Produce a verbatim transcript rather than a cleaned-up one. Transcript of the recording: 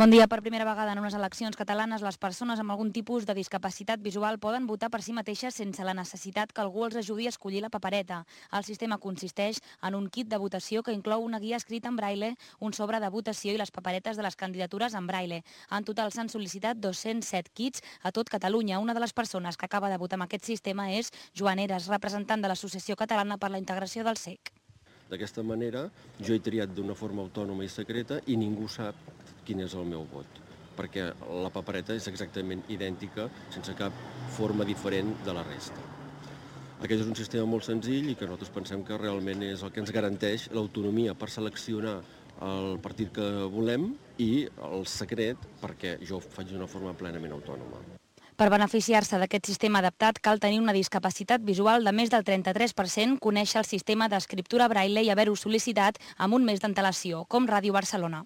Bon dia. Per primera vegada en unes eleccions catalanes, les persones amb algun tipus de discapacitat visual poden votar per si mateixes sense la necessitat que algú els ajudi a escollir la papereta. El sistema consisteix en un kit de votació que inclou una guia escrita en braille, un sobre de votació i les paperetes de les candidatures en braille. En total s'han sol·licitat dos-cents set kits a tot Catalunya. Una de les persones que acaba de votar amb aquest sistema és Joan Eres, representant de l'Associació Catalana per la Integració del C E C. D'aquesta manera, jo he triat d'una forma autònoma i secreta i ningú sap quin és el meu vot, perquè la papereta és exactament idèntica, sense cap forma diferent de la resta. Aquest és un sistema molt senzill i que nosaltres pensem que realment és el que ens garanteix l'autonomia per seleccionar el partit que volem i el secret perquè jo ho faig d'una forma plenament autònoma. Per beneficiar-se d'aquest sistema adaptat cal tenir una discapacitat visual de més del trenta-tres per cent, conèixer el sistema d'escriptura braille i haver-ho sol·licitat amb un mes d'antelació, com Ràdio Barcelona.